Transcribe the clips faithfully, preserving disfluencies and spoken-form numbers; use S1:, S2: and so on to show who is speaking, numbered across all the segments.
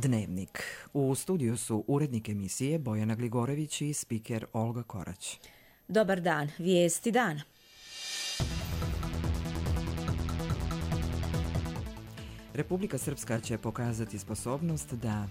S1: Dnevnik. U studiju su urednik emisije Bojana Gligorević i spiker Olga Korać.
S2: Dobar dan, vijesti dana.
S1: Republika Srpska će pokazati sposobnost da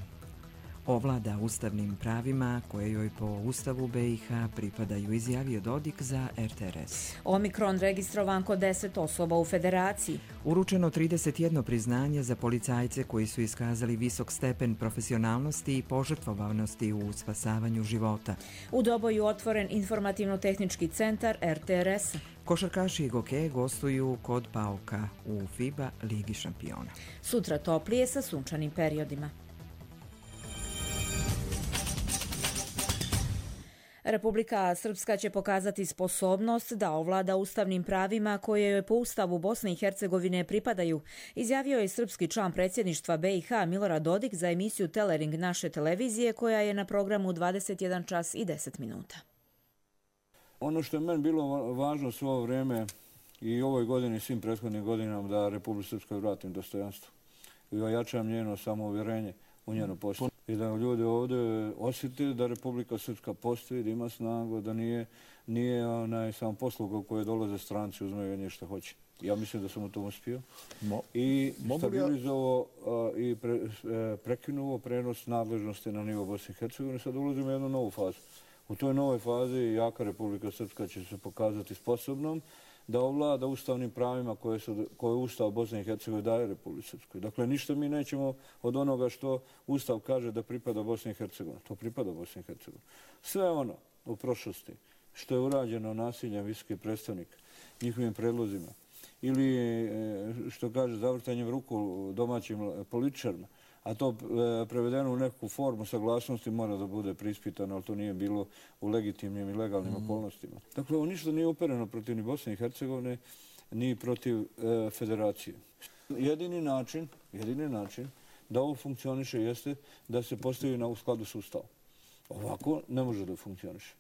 S1: ovlada ustavnim pravima koje joj po Ustavu B i H pripadaju, izjavio Dodik za R T R S.
S2: Omikron registrovan kod deset osoba u Federaciji.
S1: Uručeno trideset jedno priznanje za policajce koji su iskazali visok stepen profesionalnosti i požrtvovanosti u spasavanju života.
S2: U Doboju otvoren informativno-tehnički centar R T R S.
S1: Košarkaši i gokeje gostuju kod Pauka u FIBA Ligi šampiona.
S2: Sutra toplije sa sunčanim periodima. Republika Srpska će pokazati sposobnost da ovlada ustavnim pravima koje joj po Ustavu Bosne i Hercegovine pripadaju, izjavio je srpski član predsjedništva B i H Milorad Dodik za emisiju Telering naše televizije koja je na programu dvadeset jedan čas i deset minuta.
S3: Ono što je meni bilo važno svo ovo vrijeme i ovoj godini i svim prethodnim godinama da Republika Srpska vratim dostojanstvo i ojačam njeno samouvjerenje u njeno postoje. I da ljudi ovdje osjete da Republika Srpska postoji, da ima snagu, da nije, nije onaj sam posluga koje dolaze stranci, uzmeju nje što hoće. Ja mislim da sam u tom uspio. Mo, I stabilizovao ja... i pre, prekinuo prenos nadležnosti na nivo Bosne i Hercegovine. Sad ulazimo u jednu novu fazu. U toj novoj fazi jaka Republika Srpska će se pokazati sposobnom da ovlada ustavnim pravima koje, su, koje Ustav Bosne i Hercegovine daje Republici Srpskoj. Dakle, ništa mi nećemo od onoga što Ustav kaže da pripada Bosni i Hercegovini. To pripada Bosni i Hercegovini. Sve ono u prošlosti što je urađeno nasiljem visokih predstavnika, njihovim predlozima, ili što kaže zavrtanjem ruku domaćim političarima, a to prevedeno u neku formu saglasnosti mora da bude prispitano, ali to nije bilo u legitimnim i legalnim mm. okolnostima. Dakle, ovo ništa nije upereno protiv ni Bosne i Hercegovine, ni protiv e, federacije. Jedini način, jedini način da ovo funkcioniše jeste da se postavi na u skladu s Ustavom. Ovako ne može da funkcioniše.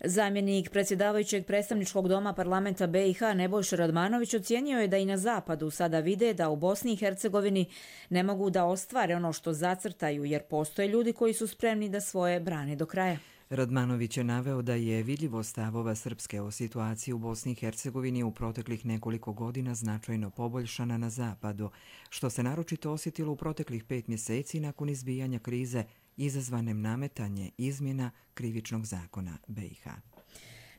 S2: Zamjenik predsjedavajućeg predstavničkog doma parlamenta B i H Nebojša Radmanović ocijenio je da i na zapadu sada vide da u Bosni i Hercegovini ne mogu da ostvare ono što zacrtaju, jer postoje ljudi koji su spremni da svoje brane do kraja.
S1: Radmanović je naveo da je vidljivo stavova Srpske o situaciji u Bosni i Hercegovini u proteklih nekoliko godina značajno poboljšana na zapadu, što se naročito osjetilo u proteklih pet mjeseci nakon izbijanja krize izazvanem nametanje izmjena krivičnog zakona B i H.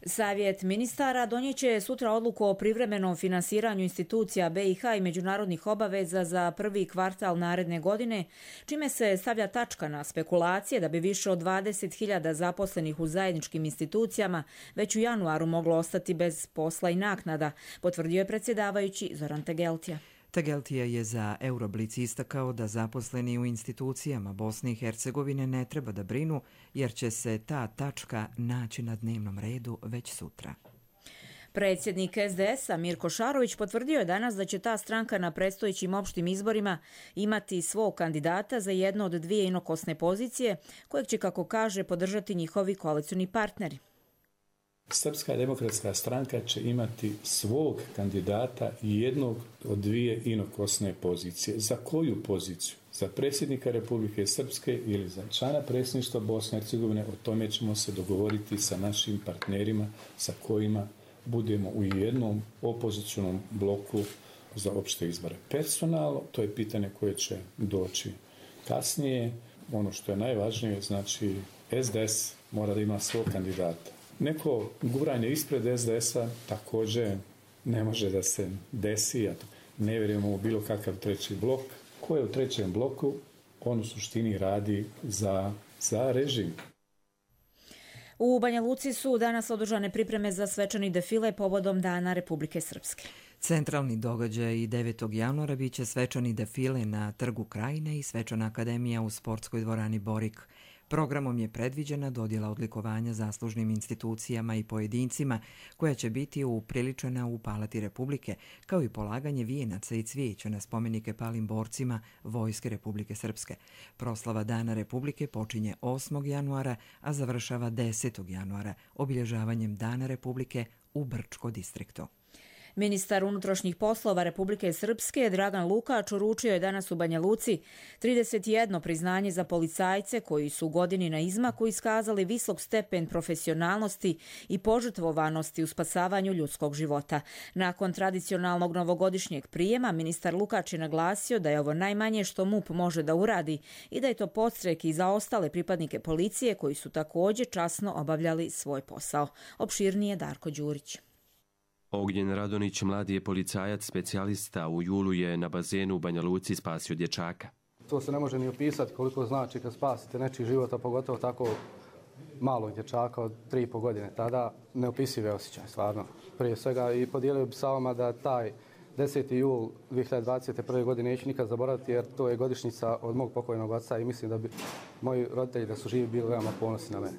S2: Savjet ministara donijeće sutra odluku o privremenom finansiranju institucija B i H i međunarodnih obaveza za prvi kvartal naredne godine, čime se stavlja tačka na spekulacije da bi više od dvadeset hiljada zaposlenih u zajedničkim institucijama već u januaru moglo ostati bez posla i naknada, potvrdio je predsjedavajući Zoran Tegeltija.
S1: Tegeltija je za Euroblic istakao da zaposleni u institucijama Bosne i Hercegovine ne treba da brinu, jer će se ta tačka naći na dnevnom redu već sutra.
S2: Predsjednik S D S-a Mirko Šarović potvrdio je danas da će ta stranka na predstojećim opštim izborima imati svog kandidata za jednu od dvije inokosne pozicije, kojeg će, kako kaže, podržati njihovi koalicioni partneri.
S4: Srpska demokratska stranka će imati svog kandidata i jednog od dvije inokosne pozicije. Za koju poziciju? Za predsjednika Republike Srpske ili za člana predsjedništva Bosne i Hercegovine? O tome ćemo se dogovoriti sa našim partnerima sa kojima budemo u jednom opozicionom bloku za opšte izbore. Personalno, to je pitanje koje će doći kasnije. Ono što je najvažnije, znači S D S mora da ima svog kandidata. Neko guranje ispred S D S-a također ne može da se desi, a ne vjerujemo u bilo kakav treći blok. Ko je u trećem bloku, on u suštini radi za, za režim.
S2: U Banja Luci su danas održane pripreme za svečani defile povodom Dana Republike Srpske.
S1: Centralni događaj devetog januara biće svečani defile na Trgu Krajine i svečana akademija u sportskoj dvorani Borik. Programom je predviđena dodjela odlikovanja zaslužnim institucijama i pojedincima koja će biti upriličena u Palati Republike, kao i polaganje vijenaca i cvijeća na spomenike palim borcima Vojske Republike Srpske. Proslava Dana Republike počinje osmog januara, a završava desetog januara obilježavanjem Dana Republike u Brčko distriktu.
S2: Ministar unutrašnjih poslova Republike Srpske Dragan Lukač uručio je danas u Banja Luci trideset jedno priznanje za policajce koji su u godini na izmaku iskazali visok stepen profesionalnosti i požrtvovanosti u spasavanju ljudskog života. Nakon tradicionalnog novogodišnjeg prijema, ministar Lukač je naglasio da je ovo najmanje što MUP može da uradi i da je to podstrek i za ostale pripadnike policije koji su također časno obavljali svoj posao. Opširnije Darko Đurić.
S5: Ognjen Radonić, mladi je policajac, specijalista, u julu je na bazenu u Banja Luci spasio dječaka.
S6: To se ne može ni opisati koliko znači kad spasite nečiji život, a pogotovo tako malog dječaka od tri i po godine. Tada neopisive osjećaj, stvarno. Prije svega i podijelio bi sa vama da taj deseti jul dvije hiljade dvadeset prve godine neću nikad zaboraviti jer to je godišnjica od mog pokojnog oca i mislim da bi moji roditelji da su živi bili veoma ponosni na mene.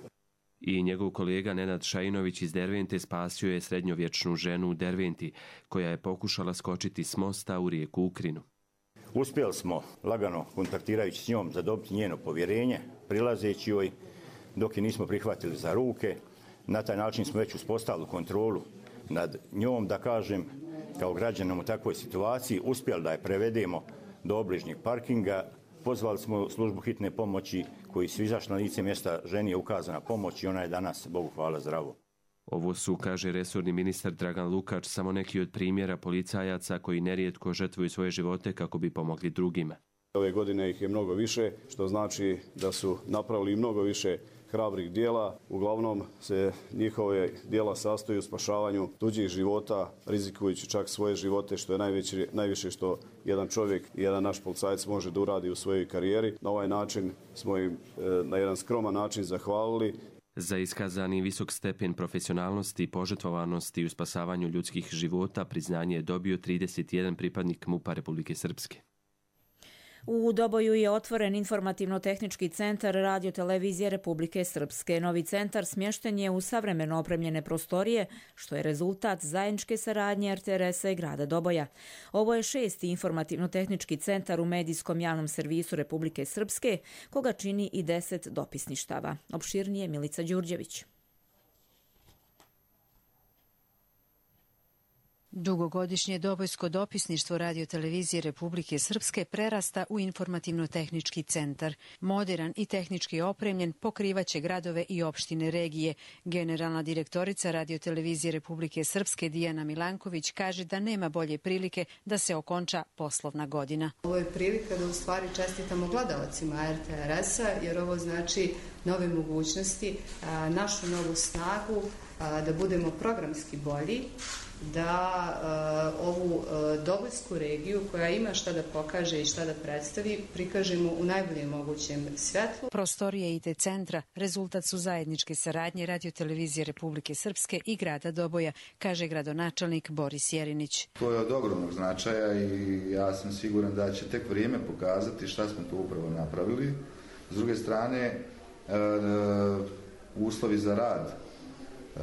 S5: I njegov kolega Nenad Šajinović iz Dervente spasio je srednjovječnu ženu u Derventi koja je pokušala skočiti s mosta u rijeku Ukrinu.
S7: Uspjeli smo lagano kontaktirajući s njom zadobiti njeno povjerenje, prilazeći joj dok je nismo prihvatili za ruke. Na taj način smo već uspostavili kontrolu nad njom, da kažem, kao građanom u takvoj situaciji, uspjeli da je prevedemo do obližnjeg parkinga. Pozvali smo službu hitne pomoći koji su izašli na lice mjesta, ženi je ukazana pomoć i ona je danas, Bogu hvala, zdravo.
S5: Ovo su, kaže resorni ministar Dragan Lukač, samo neki od primjera policajaca koji nerijetko žrtvuju svoje živote kako bi pomogli drugima.
S8: Ove godine ih je mnogo više, što znači da su napravili mnogo više hrabrih dijela. Uglavnom se njihove dijela sastoji u spašavanju tuđih života, rizikujući čak svoje živote, što je najveće, najviše što jedan čovjek i jedan naš policajac može da uradi u svojoj karijeri. Na ovaj način smo im na jedan skroman način zahvalili.
S5: Za iskazani visok stepen profesionalnosti i požrtvovanosti u spasavanju ljudskih života priznanje je dobio trideset jedan pripadnik MUP-a Republike Srpske.
S2: U Doboju je otvoren informativno-tehnički centar radiotelevizije Republike Srpske. Novi centar smješten je u savremeno opremljene prostorije, što je rezultat zajedničke saradnje er te er es-a i grada Doboja. Ovo je šesti informativno-tehnički centar u medijskom javnom servisu Republike Srpske, koga čini i deset dopisništava. Opširnije Milica Đurđević.
S9: Dugogodišnje dobojsko dopisništvo radiotelevizije Republike Srpske prerasta u informativno-tehnički centar. Moderan i tehnički opremljen pokrivaće gradove i opštine regije. Generalna direktorica radiotelevizije Republike Srpske Dijana Milanković kaže da nema bolje prilike da se okonča poslovna godina.
S10: Ovo je prilika da u stvari čestitamo gledalcima er te er es-a jer ovo znači nove mogućnosti, našu novu snagu, da budemo programski bolji, da uh, ovu uh, Dobojsku regiju koja ima šta da pokaže i šta da predstavi prikažemo u najboljem mogućem svjetlu.
S9: Prostorije i te centra rezultat su zajedničke saradnje radiotelevizije Republike Srpske i grada Doboja, kaže gradonačelnik Boris Jerinić.
S11: To je od ogromnog značaja i ja sam siguran da će tek vrijeme pokazati šta smo to upravo napravili. S druge strane, uh, uslovi za rad uh,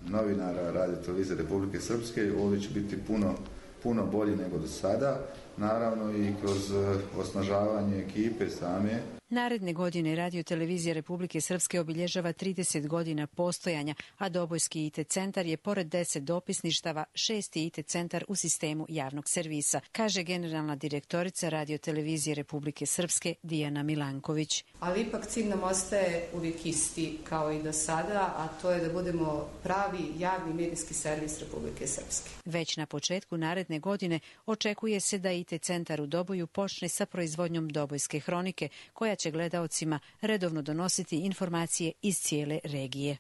S11: novinara radiotelevizije Republike Srpske ovdje će biti puno, puno bolji nego do sada, naravno i kroz osnažavanje ekipe same.
S9: Naredne godine radiotelevizija Republike Srpske obilježava trideset godina postojanja, a Dobojski i te centar je pored deset dopisništava šesti i te centar u sistemu javnog servisa, kaže generalna direktorica radiotelevizije Republike Srpske Dijana Milanković.
S10: Ali ipak cilj nam ostaje uvijek isti kao i do sada, a to je da budemo pravi javni medijski servis Republike Srpske.
S9: Već na početku naredne godine očekuje se da i te centar u Doboju počne sa proizvodnjom Dobojske hronike, koja će gledaocima redovno donositi informacije iz cijele regije.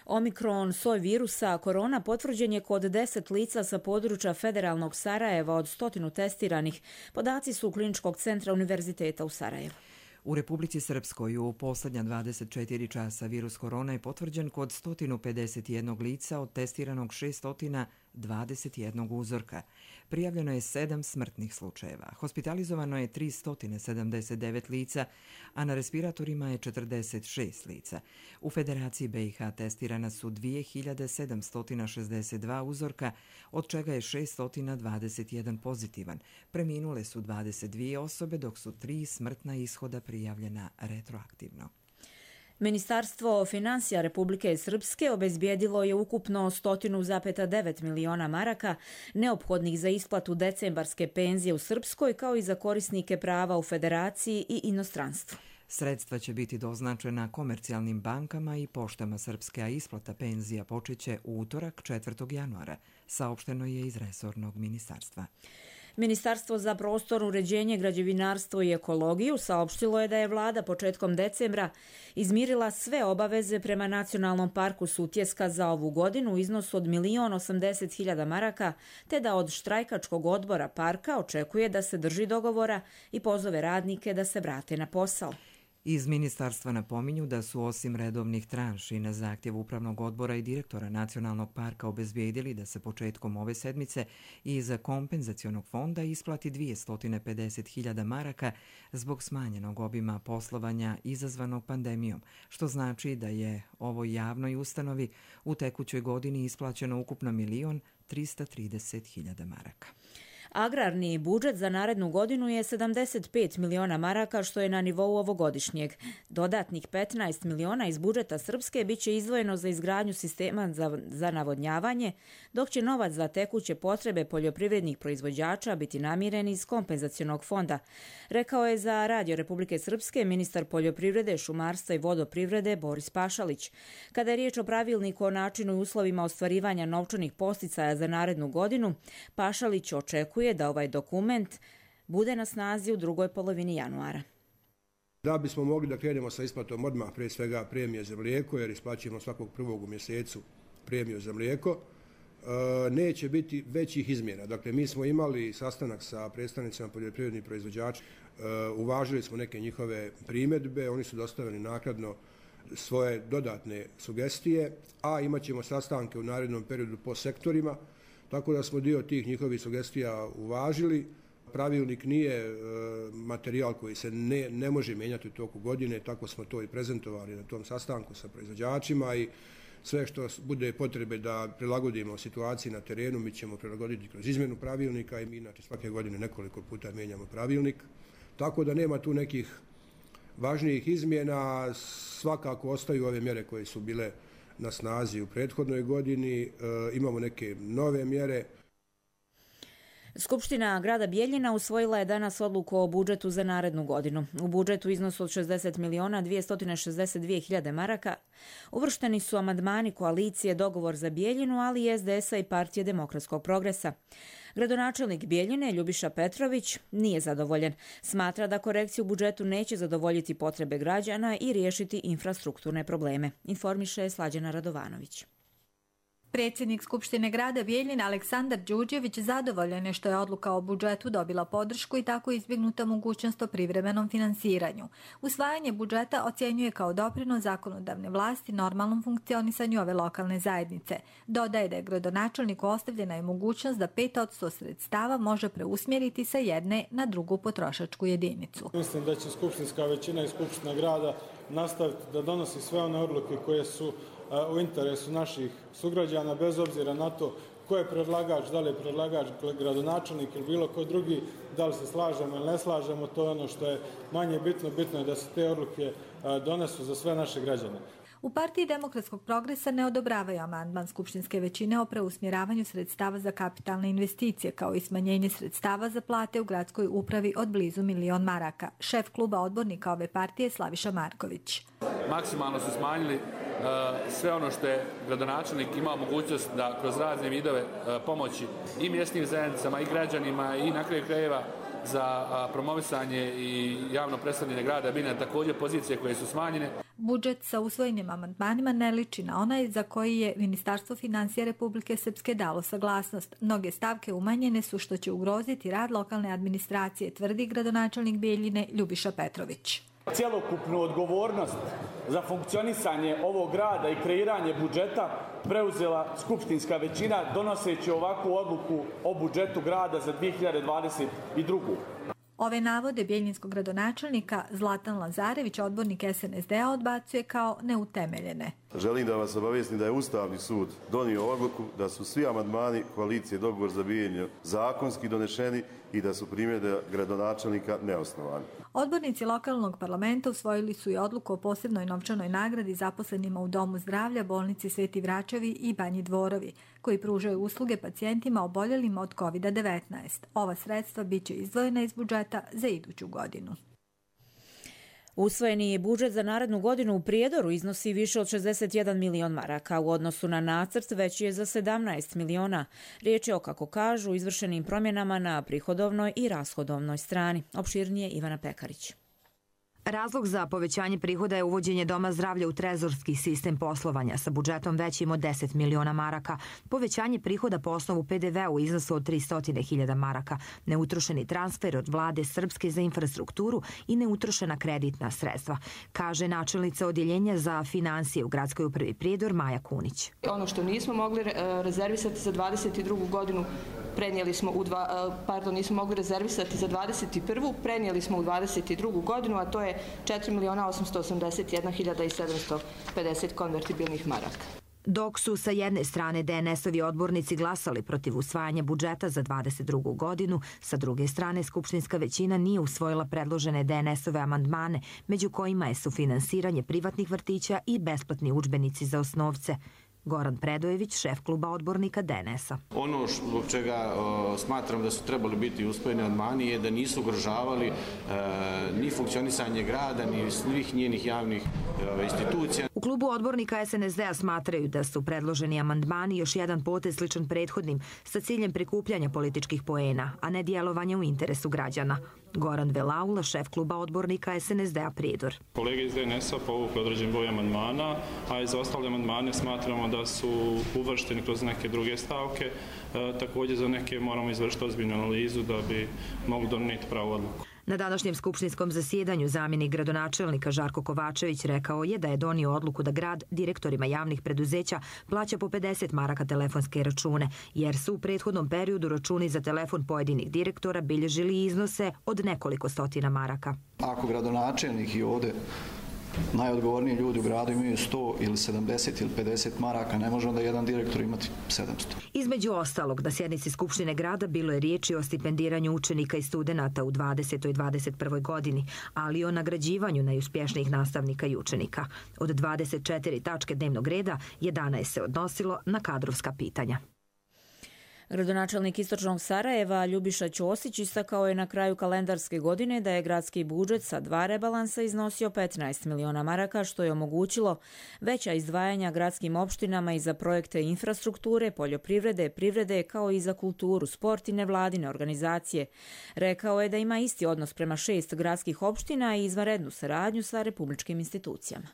S2: Omikron soj virusa korona potvrđen je kod deset lica sa područja federalnog Sarajeva od stotinu testiranih. Podaci su Kliničkog centra Univerziteta u Sarajevu.
S1: U Republici Srpskoj u posljednja dvadeset četiri časa virus korona je potvrđen kod sto pedeset jedan lica od testiranog šesto dvadeset jedan uzorka. Prijavljeno je sedam smrtnih slučajeva. Hospitalizovano je tristo sedamdeset devet lica, a na respiratorima je četrdeset šest lica. U Federaciji be i ha testirana su dvije hiljade sedamsto šezdeset dva uzorka, od čega je šesto dvadeset jedan pozitivan. Preminule su dvadeset dvije osobe, dok su tri smrtna ishoda prijavljena retroaktivno.
S2: Ministarstvo financija Republike Srpske obezbijedilo je ukupno sto zarez devet miliona maraka neophodnih za isplatu decembarske penzije u Srpskoj kao i za korisnike prava u Federaciji i inostranstvu.
S1: Sredstva će biti doznačena komercijalnim bankama i poštama Srpske, a isplata penzija počeće u utorak četvrtog januara, saopšteno je iz resornog ministarstva.
S2: Ministarstvo za prostor, uređenje, građevinarstvo i ekologiju saopštilo je da je vlada početkom decembra izmirila sve obaveze prema Nacionalnom parku Sutjeska za ovu godinu u iznosu od milion osamdeset hiljada maraka, te da od štrajkačkog odbora parka očekuje da se drži dogovora i pozove radnike da se vrate na posao.
S1: Iz ministarstva napominju da su osim redovnih tranši na zahtjev upravnog odbora i direktora Nacionalnog parka obezbijedili da se početkom ove sedmice iz kompenzacionog fonda isplati dvjesto pedeset hiljada maraka zbog smanjenog obima poslovanja izazvanog pandemijom, što znači da je ovoj javnoj ustanovi u tekućoj godini isplaćeno ukupno milion trista trideset hiljada maraka.
S2: Agrarni budžet za narednu godinu je sedamdeset pet miliona maraka, što je na nivou ovogodišnjeg. Dodatnih petnaest miliona iz budžeta Srpske bit će izdvojeno za izgradnju sistema za, za navodnjavanje, dok će novac za tekuće potrebe poljoprivrednih proizvođača biti namiren iz kompenzacionog fonda, rekao je za Radio Republike Srpske ministar poljoprivrede, šumarstva i vodoprivrede Boris Pašalić. Kada je riječ o pravilniku o načinu i uslovima ostvarivanja novčanih posticaja za narednu godinu, Pašalić očekuje da ovaj dokument bude na snazi u drugoj polovini januara.
S12: Da bismo mogli da krenemo sa isplatom odmah, prije svega premije za mlijeko, jer isplaćujemo svakog prvog u mjesecu premiju za mlijeko, neće biti većih izmjena. Dakle, mi smo imali sastanak sa predstavnicima poljoprivrednih proizvođača, uvažili smo neke njihove primjedbe, oni su dostavili naknadno svoje dodatne sugestije, a imat ćemo sastanke u narednom periodu po sektorima, tako da smo dio tih njihovih sugestija uvažili. Pravilnik nije e, materijal koji se ne, ne može mijenjati u toku godine, tako smo to i prezentovali na tom sastanku sa proizvođačima i sve što bude potrebe da prilagodimo situaciji na terenu, mi ćemo prilagoditi kroz izmjenu pravilnika i mi inače svake godine nekoliko puta mijenjamo pravilnik. Tako da nema tu nekih važnijih izmjena, svakako ostaju ove mjere koje su bile na snazi u prethodnoj godini, e, imamo neke nove mjere.
S2: Skupština grada Bijeljina usvojila je danas odluku o budžetu za narednu godinu. U budžetu iznosu od šezdeset miliona dvjesto šezdeset dvije hiljade maraka uvršteni su amandmani koalicije Dogovor za Bijeljinu, ali i es de es a i Partije demokratskog progresa. Gradonačelnik Bijeljine, Ljubiša Petrović, nije zadovoljen. Smatra da korekcija u budžetu neće zadovoljiti potrebe građana i riješiti infrastrukturne probleme, informiše Slađana Radovanović.
S13: Predsjednik Skupštine grada Bijeljina Aleksandar Đurđević zadovoljan je što je odluka o budžetu dobila podršku i tako izbjegnuta mogućnost o privremenom finansiranju. Usvajanje budžeta ocjenjuje kao doprinos zakonodavne vlasti normalnom funkcionisanju ove lokalne zajednice. Dodaje da je gradonačelniku ostavljena i mogućnost da pet posto sredstava može preusmjeriti sa jedne na drugu potrošačku jedinicu.
S14: Mislim da će skupštinska većina i skupština grada nastaviti da donosi sve one odluke koje su u interesu naših sugrađana, bez obzira na to ko je predlagač, da li je predlagač gradonačelnik ili bilo ko drugi, da li se slažemo ili ne slažemo, to je ono što je manje bitno. Bitno je da se te odluke donesu za sve naše građane.
S13: U Partiji demokratskog progresa ne odobravaju amandman skupštinske većine o preusmjeravanju sredstava za kapitalne investicije, kao i smanjenje sredstava za plate u gradskoj upravi od blizu milion maraka. Šef kluba odbornika ove partije Slaviša Marković.
S15: Maksimalno su smanjili sve ono što je gradonačelnik imao mogućnost da kroz razne vidove pomoći i mjesnim zajednicama i građanima i na kraju krajeva za promovisanje i javno predstavljanje grada Bijeljine, također pozicije koje su smanjene.
S13: Budžet sa usvojenim amandmanima ne liči na onaj za koji je Ministarstvo financija Republike Srpske dalo saglasnost. Mnoge stavke umanjene su što će ugroziti rad lokalne administracije, tvrdi gradonačelnik Bijeljine Ljubiša Petrović.
S16: Cjelokupnu odgovornost za funkcionisanje ovog grada i kreiranje budžeta preuzela skupštinska većina donoseći ovakvu odluku o budžetu grada za dvije hiljade dvadeset drugu.
S13: Ove navode bijeljinskog gradonačelnika Zlatan Lazarević, odbornik es en es de a, odbacuje kao neutemeljene.
S17: želim da vas obavijestim da je Ustavni sud donio odluku da su svi amandmani koalicije Dogovor za Bijeljinu zakonski donešeni i da su primjedbe gradonačelnika neosnovane.
S13: Odbornici lokalnog parlamenta usvojili su i odluku o posebnoj novčanoj nagradi zaposlenima u Domu zdravlja, bolnici Sveti Vračevi i Banji Dvorovi, koji pružaju usluge pacijentima oboljelima od kovid devetnaest. Ova sredstva biće izdvojena iz budžeta za iduću godinu.
S2: Usvojeni budžet za narednu godinu u Prijedoru iznosi više od šezdeset jedan milion maraka. U odnosu na nacrt veći je za sedamnaest miliona. Riječ je o, kako kažu, izvršenim promjenama na prihodovnoj i rashodovnoj strani. Opširnije Ivana Pekarić.
S18: Razlog za povećanje prihoda je uvođenje Doma zdravlja u trezorski sistem poslovanja sa budžetom većim od deset miliona maraka, povećanje prihoda po osnovu P D V u iznosu od tristo hiljada maraka, neutrošeni transfer od vlade Srpske za infrastrukturu i neutrošena kreditna sredstva, kaže načelnica odjeljenja za finansije u gradskoj upravi Prijedor Maja Kunić.
S19: Ono što nismo mogli rezervisati za dvadeset drugu godinu prenijeli smo u dva, pardon, nismo mogli rezervisati za dvadeset prvu prenijeli smo u dvadeset drugu godinu, a to je četiri miliona osamsto osamdeset jedna hiljada i sedamsto pedeset konvertibilnih maraka.
S18: Dok su sa jedne strane D N S-ovi odbornici glasali protiv usvajanja budžeta za dvadeset drugu godinu, sa druge strane skupštinska većina nije usvojila predložene D N S-ove amandmane, među kojima je sufinansiranje privatnih vrtića i besplatni udžbenici za osnovce. Goran Predojević, šef kluba odbornika D N S-a.
S20: Ono zbog čega o, smatram da su trebali biti usvojeni amandmani je da nisu ugrožavali e, ni funkcionisanje grada, ni svih njenih javnih e, institucija.
S18: U klubu odbornika S N S D-a smatraju da su predloženi amandmani još jedan potez sličan prethodnim sa ciljem prikupljanja političkih poena, a ne djelovanja u interesu građana. Goran Velaula, šef kluba odbornika S N S D-a Prijedor.
S21: Kolege iz D N S-a povukli određen broj amandmana, a i za ostale amandmane smatramo da su uvršteni kroz neke druge stavke. E, također za neke moramo izvršiti ozbiljnu analizu da bi mogli donijeti pravu odluku.
S18: Na današnjem skupštinskom zasjedanju zamjenik gradonačelnika Žarko Kovačević rekao je da je donio odluku da grad direktorima javnih preduzeća plaća po pedeset maraka telefonske račune, jer su u prethodnom periodu računi za telefon pojedinih direktora bilježili iznose od nekoliko stotina maraka.
S22: Ako gradonačelnik i ovdje najodgovorniji ljudi u gradu imaju sto ili sedamdeset ili pedeset maraka, ne može onda jedan direktor imati sedamsto.
S18: Između ostalog, na sjednici Skupštine grada bilo je riječi o stipendiranju učenika i studenata u dvadesetoj i dvadeset prvoj godini, ali i o nagrađivanju najuspješnijih nastavnika i učenika. Od dvadeset četiri tačke dnevnog reda, jedanaest se odnosilo na kadrovska pitanja.
S2: Gradonačelnik Istočnog Sarajeva Ljubiša Ćosić istakao je na kraju kalendarske godine da je gradski budžet sa dva rebalansa iznosio petnaest miliona maraka, što je omogućilo veća izdvajanja gradskim opštinama i za projekte infrastrukture, poljoprivrede, privrede, kao i za kulturu, sport i nevladine organizacije. Rekao je da ima isti odnos prema šest gradskih opština i izvanrednu saradnju sa republičkim institucijama.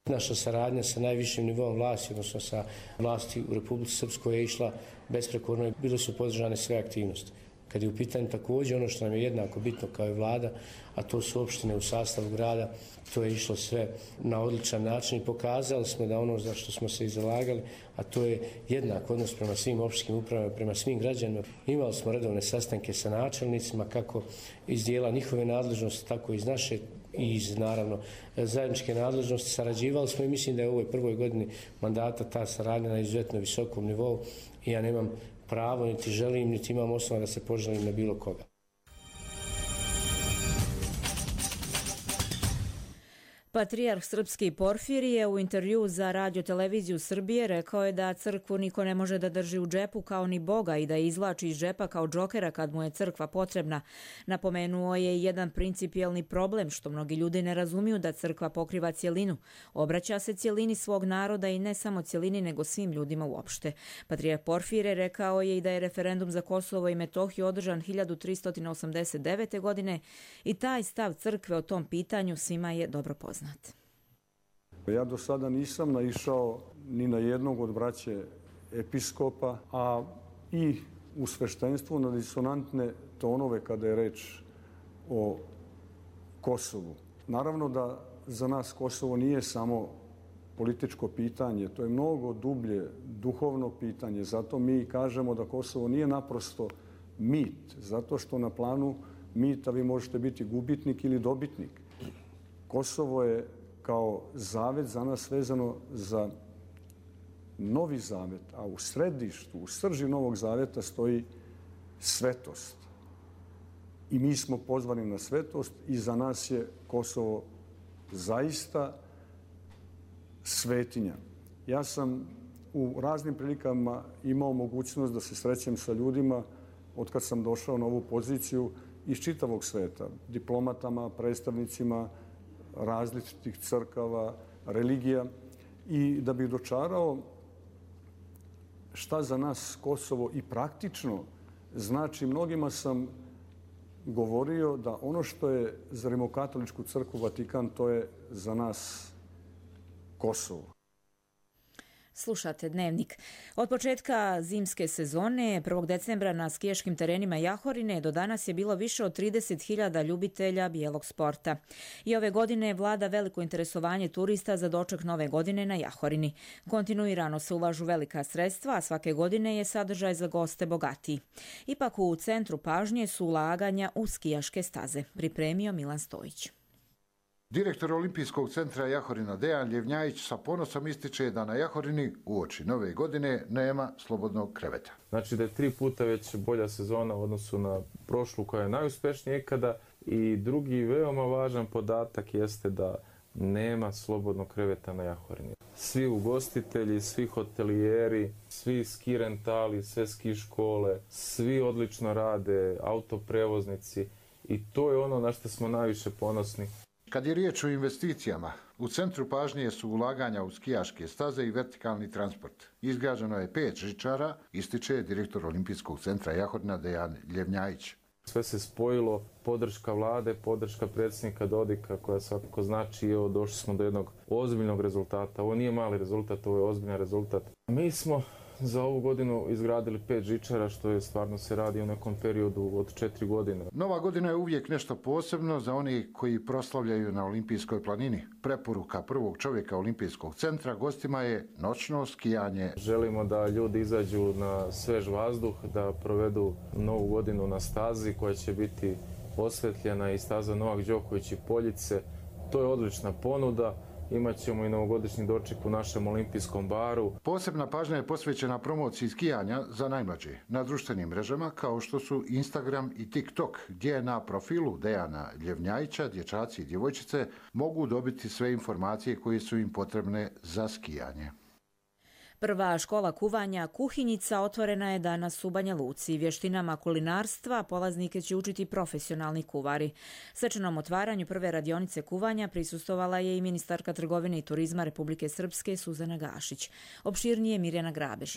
S23: Naša saradnja sa najvišim nivom vlasti, odnosno sa vlasti u Republici Srpskoj, je išla besprekorno i bile su podržane sve aktivnosti. Kad je u pitanju također ono što nam je jednako bitno kao i vlada, a to su opštine u sastavu grada, to je išlo sve na odličan način i pokazali smo da ono za što smo se i zalagali, a to je jednak odnos prema svim opštinskim upravama, prema svim građanima. Imali smo redovne sastanke sa načelnicima, kako iz dijela njihove nadležnosti, tako i iz naše i iz, naravno, zajedničke nadležnosti. Sarađivali smo i mislim da je u ovoj prvoj godini mandata ta saradnja na izuzetno visokom nivou i ja nemam pravo, niti želim, niti imam osnova da se poželim na bilo koga.
S2: Patrijarh srpski Porfirije u intervju za Radio televiziju Srbije rekao je da crkvu niko ne može da drži u džepu kao ni Boga i da je izvlači iz džepa kao džokera kad mu je crkva potrebna. Napomenuo je jedan principijelni problem što mnogi ljudi ne razumiju, da crkva pokriva cjelinu. Obraća se cjelini svog naroda i ne samo cjelini nego svim ljudima uopšte. Patrijarh Porfirije rekao je i da je referendum za Kosovo i Metohiju održan hiljadu tristo osamdeset devete. godine i taj stav crkve o tom pitanju svima je dobro poznat.
S24: Ja do sada nisam naišao ni na jednog od braće episkopa, a i u sveštenstvu na disonantne tonove kada je reč o Kosovu. Naravno da za nas Kosovo nije samo političko pitanje, to je mnogo dublje duhovno pitanje. Zato mi kažemo da Kosovo nije naprosto mit, zato što na planu mita vi možete biti gubitnik ili dobitnik. Kosovo je kao zavet za nas vezano za novi zavet, a u središtu, u srži novog zaveta stoji svetost. I mi smo pozvani na svetost i za nas je Kosovo zaista svetinja. Ja sam u raznim prilikama imao mogućnost da se srećem sa ljudima od kad sam došao na ovu poziciju iz čitavog sveta, diplomatama, predstavnicima različitih crkava, religija, i da bih dočarao šta za nas Kosovo i praktično znači, mnogima sam govorio da ono što je za Rimokatoličku crkvu Vatikan, to je za nas Kosovo.
S2: Slušate Dnevnik. Od početka zimske sezone, prvog decembra na skijaškim terenima Jahorine, do danas je bilo više od trideset hiljada ljubitelja bijelog sporta. I ove godine vlada veliko interesovanje turista za doček nove godine na Jahorini. Kontinuirano se ulažu velika sredstva, a svake godine je sadržaj za goste bogatiji. Ipak u centru pažnje su ulaganja u skijaške staze, pripremio Milan Stojić.
S3: Direktor Olimpijskog centra Jahorina Dejan Ljevnjajić sa ponosom ističe da na Jahorini uoči nove godine nema slobodnog kreveta.
S4: Znači da je tri puta već bolja sezona u odnosu na prošlu koja je najuspješnija ikada, i drugi veoma važan podatak jeste da nema slobodnog kreveta na Jahorini. Svi ugostitelji, svi hotelijeri, svi ski rentali, sve ski škole, svi odlično rade, autoprevoznici, i to je ono na što smo najviše ponosni.
S3: Kad je riječ o investicijama, u centru pažnje su ulaganja u skijaške staze i vertikalni transport. Izgrađeno je pet žičara, ističe direktor Olimpijskog centra Jahorina Dejan Ljevnjajić.
S4: Sve se spojilo, podrška vlade, podrška predsjednika Dodika, koja svakako znači, evo, došli smo do jednog ozbiljnog rezultata. Ovo nije mali rezultat, ovo je ozbiljan rezultat. Mi smo za ovu godinu izgradili pet žičara, što je stvarno se radi u nekom periodu od četiri godine.
S3: Nova godina je uvijek nešto posebno za oni koji proslavljaju na Olimpijskoj planini. Preporuka prvog čovjeka Olimpijskog centra gostima je noćno skijanje.
S4: Želimo da ljudi izađu na svež vazduh, da provedu novu godinu na stazi koja će biti osvetljena, i staza Novak Đoković i Poljice. To je odlična ponuda. Imaćemo i novogodišnji doček u našem olimpijskom baru.
S3: Posebna pažnja je posvećena promociji skijanja za najmlađe na društvenim mrežama kao što su Instagram i TikTok, gdje na profilu Dejana Ljevnjajića dječaci i djevojčice mogu dobiti sve informacije koje su im potrebne za skijanje.
S2: Prva škola kuvanja Kuhinjica otvorena je danas u Banja Luci. Vještinama kulinarstva polaznike će učiti profesionalni kuvari. Svečanom otvaranju prve radionice kuvanja prisustvovala je i ministarka trgovine i turizma Republike Srpske Suzana Gašić. Opširnije Mirjana Grabež.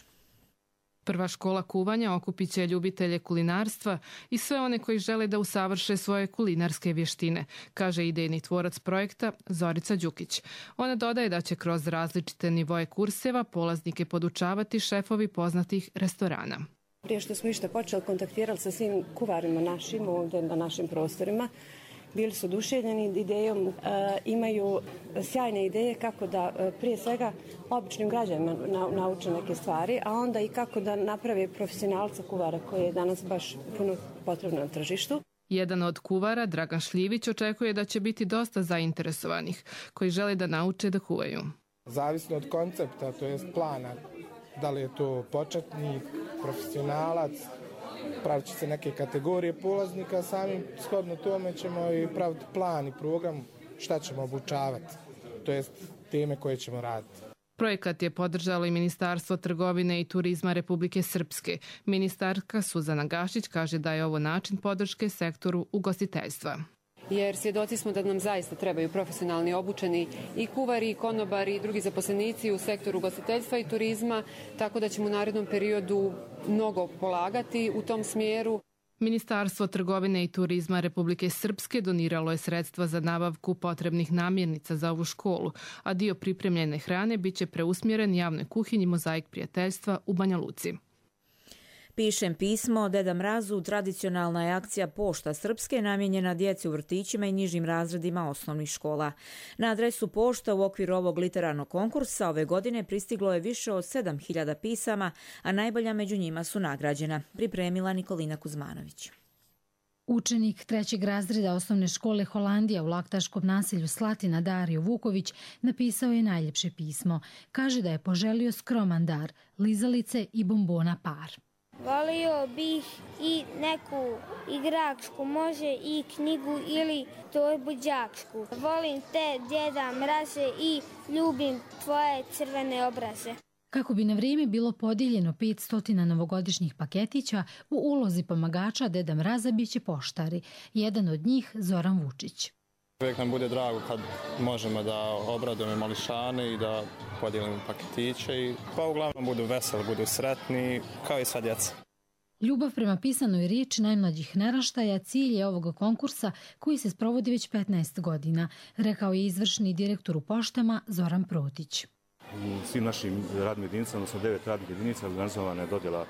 S6: Prva škola kuvanja okupit će ljubitelje kulinarstva i sve one koji žele da usavrše svoje kulinarske vještine, kaže idejni tvorac projekta Zorica Đukić. Ona dodaje da će kroz različite nivoje kurseva polaznike podučavati šefovi poznatih restorana.
S7: Prije što smo išta počeli, kontaktirali sa svim kuvarima našim ovdje na našim prostorima. Bili su oduševljeni idejom, e, imaju sjajne ideje kako da e, prije svega običnim građanima na, nauče neke stvari, a onda i kako da naprave profesionalca kuvara koji je danas baš puno potrebno na tržištu.
S6: Jedan od kuvara, Dragan Šljivić, očekuje da će biti dosta zainteresovanih koji žele da nauče da kuvaju.
S25: Zavisno od koncepta, to jest plana, da li je to početnik, profesionalac, pravit će se neke kategorije polaznika, samim shodno tome ćemo i praviti plan i program šta ćemo obučavati, to jest teme koje ćemo raditi.
S6: Projekat je podržalo i Ministarstvo trgovine i turizma Republike Srpske. Ministarka Suzana Gašić kaže da je ovo način podrške sektoru ugostiteljstva.
S26: Jer svjedoci smo da nam zaista trebaju profesionalni obučeni i kuvari, i konobari, i drugi zaposlenici u sektoru ugostiteljstva i turizma, tako da ćemo u narednom periodu mnogo polagati u tom smjeru.
S6: Ministarstvo trgovine i turizma Republike Srpske doniralo je sredstva za nabavku potrebnih namirnica za ovu školu, a dio pripremljene hrane biće preusmjeren javnoj kuhinji Mozaik prijateljstva u Banja Luci.
S2: Pišem pismo Deda Mrazu tradicionalna je akcija Pošta Srpske namijenjena djeci u vrtićima i nižim razredima osnovnih škola. Na adresu pošta u okviru ovog literarnog konkursa ove godine pristiglo je više od sedam hiljada pisama, a najbolja među njima su nagrađena, pripremila Nikolina Kuzmanović.
S1: Učenik trećeg razreda osnovne škole Holandija u laktaškom naselju Slatina Dario Vuković napisao je najljepše pismo. Kaže da je poželio skroman dar, lizalice i bombona par.
S5: Volio bih i neku igračku, može i knjigu ili torbu đačku. Volim te, djeda Mraze, i ljubim tvoje crvene obraze.
S1: Kako bi na vrijeme bilo podijeljeno petsto novogodišnjih paketića, u ulozi pomagača Deda Mraza biće poštari. Jedan od njih Zoran Vučić.
S8: Uvijek nam bude drago kad možemo da obradujemo mališane i da podijelimo paketiće i pa uglavnom budu veseli, budu sretni, kao i sva djeca.
S1: Ljubav prema pisanoj riječi najmlađih naraštaja cilj je ovog konkursa koji se sprovodi već petnaest godina, rekao je izvršni direktor u poštama Zoran Protić.
S9: U svim našim radnim jedinicama, odnosno devet radnih jedinica, organizovana je dodjela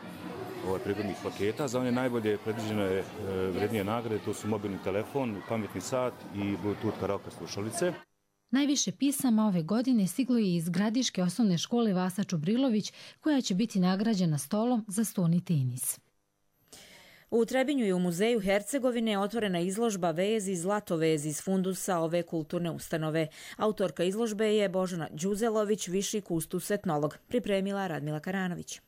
S9: ovaj prigodnih paketa. Za one najbolje predviđene je vrednije nagrade, to su mobilni telefon, pametni sat i Bluetooth karaoke slušalice.
S1: Najviše pisama ove godine stiglo je iz Gradiške osnovne škole Vasa Čubrilović, koja će biti nagrađena stolom za stoni tenis.
S2: U Trebinju i u muzeju Hercegovine otvorena izložba Vezi Zlatovez iz fundusa ove kulturne ustanove. Autorka izložbe je Božana Đuzelović, viši kustus etnolog. Pripremila Radmila Karanović.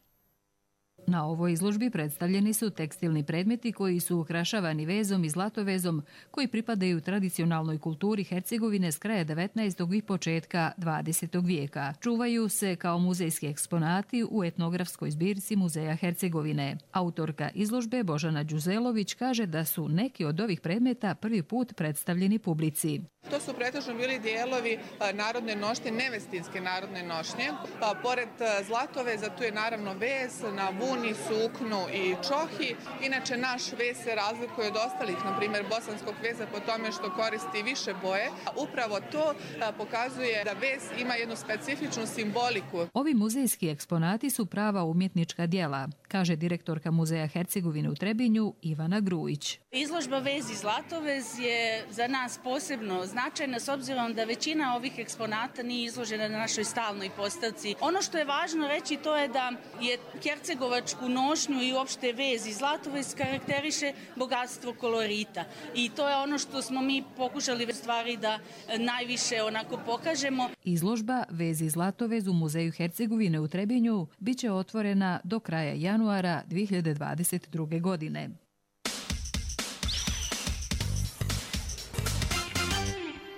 S10: Na ovoj izložbi predstavljeni su tekstilni predmeti koji su ukrašavani vezom i zlatovezom, koji pripadaju tradicionalnoj kulturi Hercegovine s kraja devetnaestog i početka dvadesetog vijeka. Čuvaju se kao muzejski eksponati u etnografskoj zbirci Muzeja Hercegovine. Autorka izložbe Božana Đuzelović kaže da su neki od ovih predmeta prvi put predstavljeni publici.
S11: To su pretežno bili dijelovi narodne nošnje, nevestinske narodne nošnje. Pa, pored zlatoveza tu je naravno vez na vuni, suknu i čohi. Inače, naš vez se razlikuje od ostalih, na primjer bosanskog veza, po tome što koristi više boje. Upravo to pokazuje da vez ima jednu specifičnu simboliku.
S10: Ovi muzejski eksponati su prava umjetnička djela, kaže direktorka Muzeja Hercegovine u Trebinju Ivana Grujić.
S27: Izložba Vez i Zlatovez je za nas posebno značajna s obzirom da većina ovih eksponata nije izložena na našoj stalnoj postavci. Ono što je važno reći to je da je hercegovačku nošnju i uopšte vez i zlatovez karakteriše bogatstvo kolorita. I to je ono što smo mi pokušali u stvari da najviše onako pokažemo.
S10: Izložba Vez i Zlatovez u Muzeju Hercegovine u Trebinju biće otvorena do kraja januara dvije hiljade dvadeset druge. godine.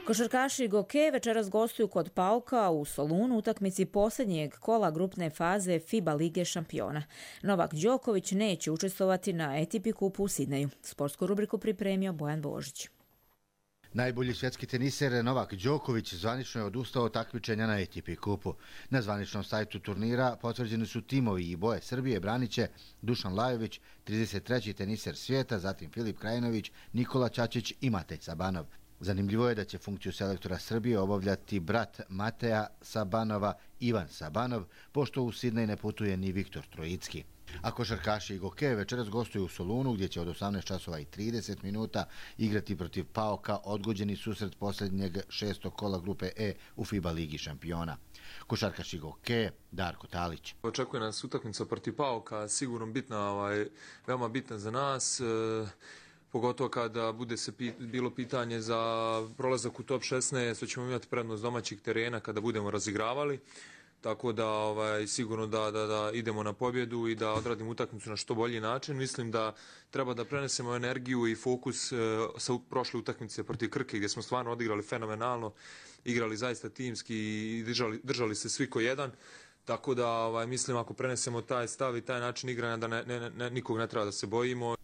S2: Košarkaši Goke večeras gostuju kod Pauka u Solunu utakmici posljednjeg kola grupne faze FIBA Lige šampiona. Novak Đoković neće učestvovati na A T P kupu u Sidneju. Sportsku rubriku pripremio Bojan Božić.
S28: Najbolji svjetski teniser Novak Đoković zvanično je odustao od takmičenja na A T P kupu. Na zvaničnom sajtu turnira potvrđeni su timovi i boje Srbije braniće Dušan Lajović, trideset treći teniser svijeta, zatim Filip Krajinović, Nikola Čačić i Matej Sabanov. Zanimljivo je da će funkciju selektora Srbije obavljati brat Mateja Sabanova, Ivan Sabanov, pošto u Sidnej ne putuje ni Viktor Trojicki. A košarkaši Goke večeras gostuju u Solunu gdje će od osamnaest časova i trideset minuta igrati protiv Pauka odgođeni susret posljednjeg šestog kola grupe E u FIBA Ligi šampiona. Košarkaši Goke, Darko Talić.
S29: Očekuje nas utakmica protiv Pauka, sigurno bitna, ovaj, veoma bitna za nas. E... Pogotovo kada bude se pit, bilo pitanje za prolazak u top šesnaest, što ćemo imati prednost domaćih terena kada budemo razigravali. Tako da ovaj, sigurno da, da, da idemo na pobjedu i da odradimo utakmicu na što bolji način. Mislim da treba da prenesemo energiju i fokus e, sa prošle utakmice protiv Krke gdje smo stvarno odigrali fenomenalno, igrali zaista timski i držali, držali se svi ko jedan. Tako da ovaj, mislim ako prenesemo taj stav i taj način igranja da ne, ne, ne, nikog ne treba da se bojimo.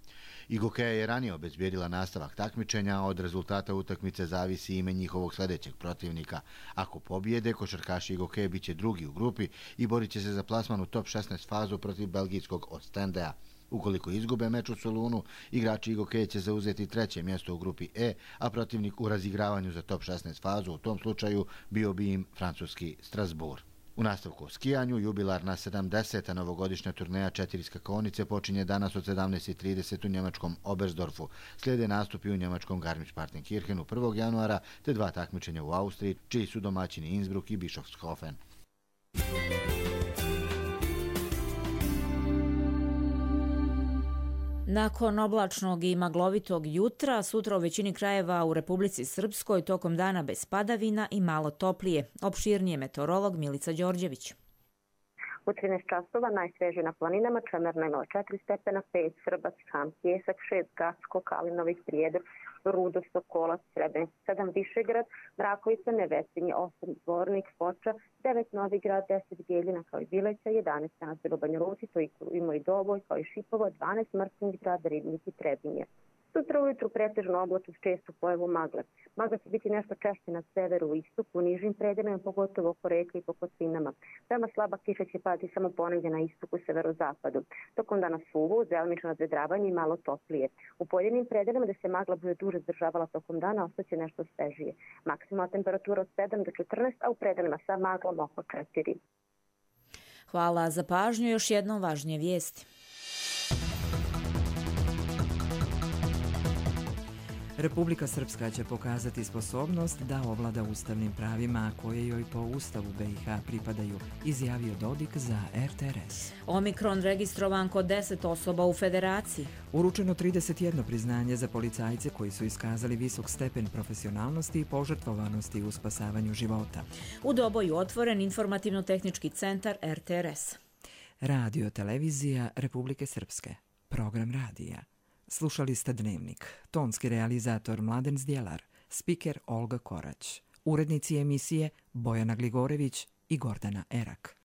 S28: I Gokeja je ranije obezbijedila nastavak takmičenja, od rezultata utakmice zavisi ime njihovog sljedećeg protivnika. Ako pobijede, košarkaši Gokeje bit će drugi u grupi i borit će se za plasman u top šesnaest fazu protiv belgijskog Ostendea. Ukoliko izgube meč u Solunu, igrači Gokeje će zauzeti treće mjesto u grupi E, a protivnik u razigravanju za top šesnaest fazu u tom slučaju bio bi im francuski Strasbourg. U nastavku o skijanju, jubilarna sedamdeseta novogodišnja turneja četiri skakonice počinje danas od sedamnaest i trideset u njemačkom Oberstdorfu. Slijede nastupi u njemačkom Garmisch-Partenkirchenu prvog januara te dva takmičenja u Austriji, čiji su domaćini Innsbruck i Bischofshofen.
S2: Nakon oblačnog i maglovitog jutra, sutra u većini krajeva u Republici Srpskoj tokom dana bez padavina i malo toplije. Opširnije meteorolog Milica Đorđević.
S12: U trinaest časova najsvežije na planinama, Čemerna imala četiri stepena, pet Srbac, Ham, Pjesak, šest Gacko, Kalinović, Prijedor, Rudo, Sokolac, Srebrenica, sedam Višegrad, Mrakovica, Nevesinje, osam Zvornik, Foča, devet Novigrad, deset Bijeljina kao i Bileća, jedanaest Nazir u Banja Luci, to ima i Doboj kao i Šipovo, dvanaest Mrkonjić Grad, Ribnik i Trebinje. Sutra ujutru pretežno oblačno s čestu pojavu magle. Magla će biti nešto češće na severu i istoku, u nižim predelima, pogotovo oko reke i po Kosinama. Veoma slaba kiša će padati samo ponegdje na istoku i severozapadu. Tokom dana suvo, delimično nadvedravanje i malo toplije. U pojedinim predelima gdje se magla bude duže zdržavala tokom dana, ostaće nešto svežije. Maksimalna temperatura od sedam do četrnaest, a u predelima sa maglom oko četiri.
S2: Hvala za pažnju. Još jednom važnije vijesti.
S13: Republika Srpska će pokazati sposobnost da ovlada ustavnim pravima koje joj po Ustavu B i H pripadaju, izjavio Dodik za R T R S.
S2: Omikron registrovan kod deset osoba u Federaciji.
S13: Uručeno trideset jedno priznanje za policajce koji su iskazali visok stepen profesionalnosti i požrtvovanosti u spasavanju života.
S2: U Doboju otvoren informativno-tehnički centar R T R S.
S13: Radio televizija Republike Srpske. Program radija. Slušali ste Dnevnik. Tonski realizator Mladen Zdjelar, spiker Olga Korać, urednici emisije Bojana Gligorević i Gordana Erak.